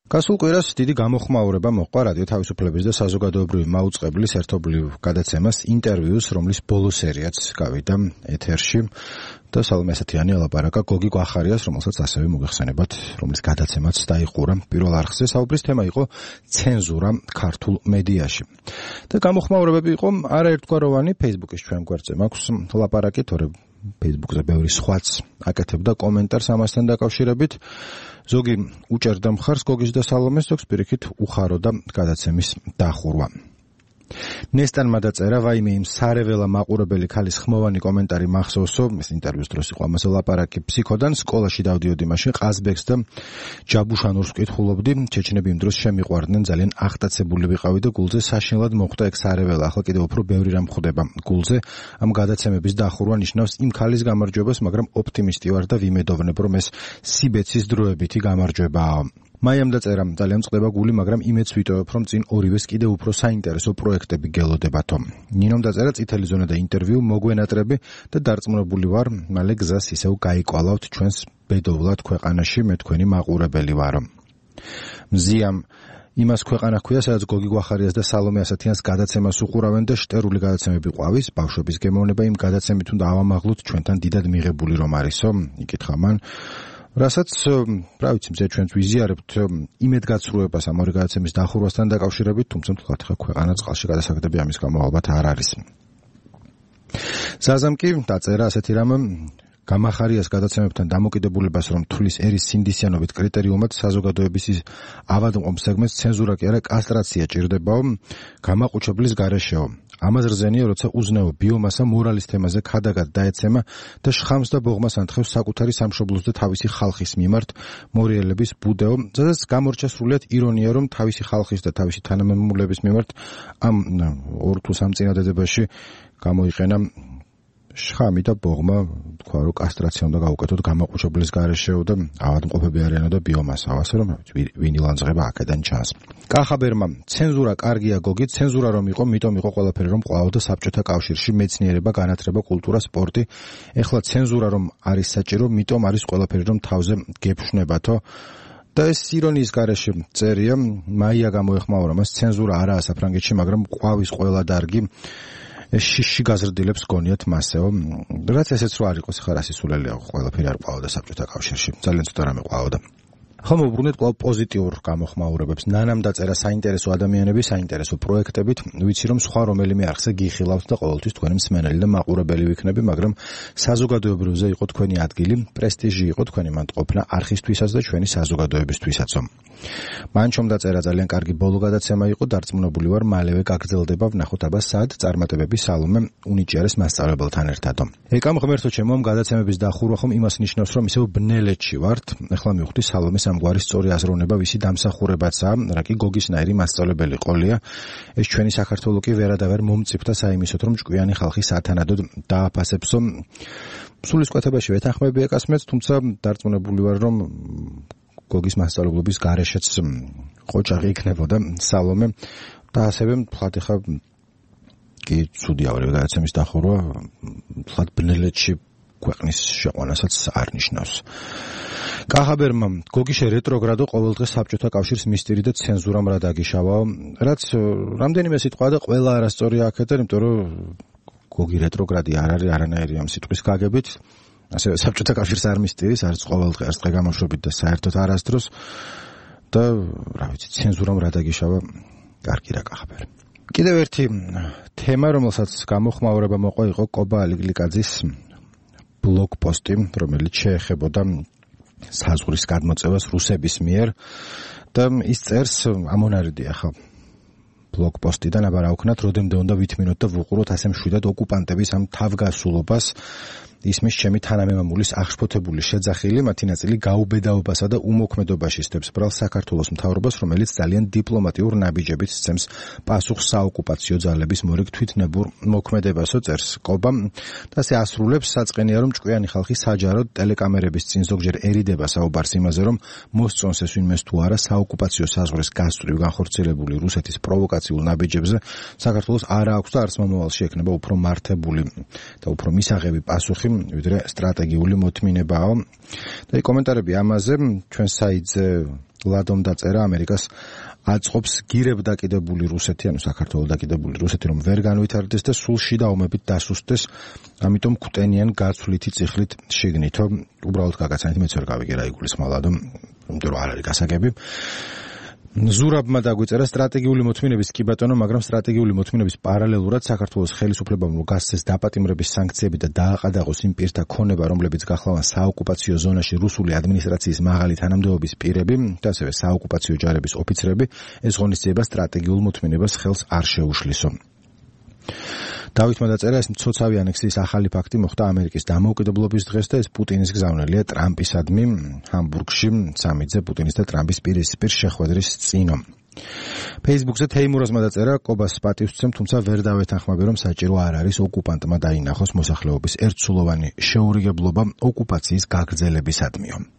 გასულ კვირას დიდი გამოხმაურება მოჰყვა რადიო თავისუფლების და საზოგადოებრივი მაუწყებლის ერთობლივ გადაცემას ინტერვიუს, რომლის ბოლო სერიაც გავიდა ეთერში და სალომე ასათიანი ელაპარაკა გოგი გვახარიას, რომელსაც ასევე მოგეხსენებათ, რომლის გადაცემაც დაიყურა პირველ არხზე. საუბრის თემა იყო ცენზურა ქართულ მედიაში. და გამოხმაურებები იყო არაერთგვაროვანი. Facebook-ის ჩვენ გვერდზე მაქვს ლაპარაკი, თორე Facebook-ზე ბევრი სხვაც აკეთებდა კომენტარს ამასთან დაკავშირებით. ზოგი უჭერდა მხარს გოგის და სალომეს, ზოგს პირიქით უხაროდა გადაცემის დახურვა. ნესტანმა დაწერა, ვაიმე იმ სარეველა მაყურებელი ქალის ხმოვანი კომენტარი მახსოვსო, ეს ინტერვიუს დროს იყო ამაზე ლაპარაკი, ფსიქოდან სკოლაში დავდიოდი მაშინ ყაზბეგს და ჯაბუშანურს ვკითხულობდი, ჩეჩნები იმ დროს შემიყვარდნენ, ძალიან აღტაცებული ვიყავი და გულზე საშინლად მოხვდა ეგ სარეველა. ახლა კიდევ უფრო ბევრი რამ ხვდება გულზე. ამ გადაცემების დახურვა ნიშნავს იმ ქალის გამარჯვებას, მაგრამ ოპტიმისტი ვარ და ვიმედოვნებ, რომ ეს სიბეცის დროებითი გამარჯვებაა. მაიამ დაწერა, ძალიან წყდება გული, მაგრამ იმედს ვიტოვებ, რომ წინ ორივეს კიდევ უფრო საინტერესო პროექტები გელოდებათო. ნინომ დაწერა, წითელი ზონა და ინტერვიუ მოგვენატრები და დარწმუნებული ვარ, მალე გზას ისევ გაიკვალავთ ჩვენს ბედოვლად ქვეყანაში, მე თქვენი მაყურებელი ვარო. მზიამ იმას ქვეყანა ჰქვია, სადაც გოგი გვახარიას და სალომე ასათიანს გადაცემას უყურავენ და შტერული გადაცემები ყვავის, ბავშვების გემოვნება იმ გადაცემით უნდა ავამაღლოთ ჩვენთან დიდად მიღებული რომ არისო, იკითხა მან. რასაც, რა ვიცი, მზე ჩვენც ვიზიარებთ იმედგაცრუებას ამ ორი გადაცემის დახურვასთან დაკავშირებით, თუმცა თქვათ ხა ქვეყანა წყალში გადასაგდები ამის გამო ალბათ არ არის. ზაზამ კი დაწერა ასეთი რამ, გამახარიას გადაცემებთან დამოკიდებულებას რომ თulis ერის სინდისიანობით კრიტერიუმად საზოგადოების ავადმყოფ სეგმენტს ცენზურა კი არა კასტრაცია ჭირდებაო, გამაყუჩებლის გარეშეო. ამას რზენია, როცა უზნეო ბიომასა მორალის თემაზე ქადაგად დაეცემა და შხამს და ბოღმას ანთხოვს საკუთარი სამშობლოს და თავისი ხალხის მიმართ მორიელების ბუდეო, სადაც გამორჩა სრულიად ირონია, რომ თავისი ხალხის და თავისი თანამემამულების მიმართ ამ 2 თუ 3 წინადადებაში გამოიყენა შხამი და ბოღმა, თქვა რომ კასტრაცია უნდა გაუკეთოთ გამაყუჩებლის გარეშეო და ავადმყოფები არიანო და ბიომასა, ასე რომ ვინ ილანძღება აქედან ჩანს. კახაბერმა, ცენზურა კარგია გოგი, ცენზურა რომ იყო, მიტომ იყო ყველაფერი რომ ყვაოდა საბჭოთა კავშირში, მეცნიერება, განათლება, კულტურა, სპორტი. ეხლა ცენზურა რომ არის საჭირო, მიტომ არის ყველაფერი რომ თავზე გეფშვნებათო. და ეს ირონიის გარეშე წერია, მაია გამოეხმაურა მას, ცენზურა არაა საფრანგეთში, მაგრამ ყვავის ყველა დარგი შიში გაზრდილებს გონიათ მასეო. რაც ესეც რო არ იყოს, ხა რა სისულელია, ყველაფერი არ ყვაოდა საბჭოთა კავშირში. ძალიან ცოტა რამე ყვაოდა. ხომ უბრუნეთ კვლავ პოზიტიურ გამოხმაურებებს. ნანამ დაწერა საინტერესო ადამიანები, საინტერესო პროექტებით, ვიცი რომ სხვა რომელიმე არხზე გიხილავთ და ყოველთვის თქვენი მსმენელი და მაყურებელი ვიქნები, მაგრამ საზოგადოებრივზე იყო თქვენი ადგილი, პრესტიჟი იყო თქვენი მანდ-ყოფნა არხისთვისაც და ჩვენი საზოგადოებისთვისაც. მანჩომ დაწერა, ძალიან კარგი ბოლო გადაცემა იყო, დარწმუნებული ვარ, მალევე გაგრძელდება, ვნახოთ აბა სად წარმატებები სალომე უნიჭიარეს მასწავლებელთან ერთადო. ეკამ ღმერთო ჩემო, ამ გადაცემების დახურვა ხომ იმას ნიშნავს, რომ ისევ ბნელეთში ვართ. ეხლა მივხვდი სალომეს ამგვარი სწორი აზროვნება ვისი დამსახურებაცაა, რა კი გოგისნაირი მასწავლებელი ყოლია. ეს ჩვენი საქართველო კი ვერადავერ მომწიფდა საიმისოთ, რომ ჭკვიანი ხალხი სათანადოდ დააფასებსო. სულისკვეთებაში ვეთანხმები ეკასმეც, თუმცა დარწმუნებული ვარ, რომ გოგის მასწავლებლობის გარეშეც ყოჭაღი იქნებოდა სალომე და ასევე თქვათ ხა კი ცუდია ორივე გადაცემის დახურვა, თქვათ ბნელეთში ქვეყნის შეყვანასაც არ ნიშნავს. კახაბერმა, გოგიშე რეტროგრადო ყოველდღე საბჭოთა კავშირის მისტირი და ცენზურამ რა დაგიშავაო, რაც რამდენიმე სიტყვა და ყველა არასწორია აქედან, იმიტომ რომ გოგი რეტროგრადი არ არის არანაირი ამ სიტყვის გაგებით. ასევე საბჭოთა კავშირის არ მისტირის, არც ყოველდღე, არც დღე გამოშვებით და საერთოდ არასდროს და რა ვიცი, ცენზურამ რა დაგიშავა, კარგი რა კახაბერ. კიდევ ერთი თემა, რომელსაც გამოხმაურება მოყვა, იყო კობა ალიგლიკაძის ბლოგ პოსტი, რომელიც შეეხებოდა საზღვრის გადმოწევას რუსების მიერ და ის წერს ამონარიდია ხა ბლოგ პოსტიდან, აბა რა ვქნათ, როდემდე უნდა ვითმინოთ და ვუყუროთ ასე მშვიდად ოკუპანტების ამ თავგასულობას. ისმის ჩემი თანამემამულის აღშფოთებული შეძახილი, მათი ნაწილი გაუბედაობასა და უმოქმედობაში სდებს ბრალ საქართველოს მთავრობას, რომელიც ძალიან დიპლომატიურ ნაბიჯებით სცემს პასუხს საოკუპაციო ძალების მორიგ თვითნებურ მოქმედებასო, წერს კობა და ასე ასრულებს, საწყენია რომ ჭკვიანი ხალხი საჯაროდ ტელეკამერების წინ ზოგჯერერიდება საუბარს იმაზე, რომ მოსწონს ეს ვინმეს თუ არა საოკუპაციო საზღვრის გასწვრივ განხორციელებული რუსეთის პროვოკაციულ ნაბიჯებზე საქართველოს არ აქვს და არც მომავალში ექნება უფრო მართებული და უფრო მისაღები პასუხი ვიდრე სტრატეგიული მოთმინებაა. და კომენტარები ამაზე ჩვენ საიტზე ლადომ დაწერა ამერიკას აწყობს გირებ დაკიდებული რუსეთი, ანუ საქართველოს დაკიდებული რუსეთი, რომ ვერ განვითარდეს და სულ შიდა ომებით დასუსტდეს, ამიტომ კვტენიან გაცვლითი წიხლით შიგნითო. უბრალოდ გაგაცანით, მეც ვერ გავიგე რა იგულისხმება ლადომ, იმიტომ რომ არ არის გასაგები. ზურაბმა დაგვიწერა სტრატეგიული მოთმინების კი ბატონო, მაგრამ სტრატეგიული მოთმინების პარალელურად საქართველოს ხელისუფლებამ გასცეს დაპატიმრების სანქციები და დააყადაღოს იმ პირთა ქონება, რომლებიც გახლავან საოკუპაციო ზონაში რუსული ადმინისტრაციის მაღალი თანამდებობის პირები და ასევე საოკუპაციო ჯარების ოფიცრები, ეს ღონისძიება სტრატეგიულ მოთმინებას ხელს არ შეუშლისო. დავითმა დაწერა, ეს მცოცავი ანექსიის ახალი ფაქტი მოხდა ამერიკის დამოუკიდებლობის დღეს და ეს პუტინის გზავნილია ტრამპისადმი ჰამბურგში სამიძე პუტინის და ტრამპის პირისპირ შეხვედრის წინო. Facebook-ზე თეიმურაზმა დაწერა, კობას პატივს ვცემ, თუმცა ვერ დავეთანხმები, რომ საჭირო არ არის ოკუპანტმა დაინახოს მოსახლეობის ერთსულოვანი შეურიგებლობა ოკუპაციის გაგრძელებისადმიო.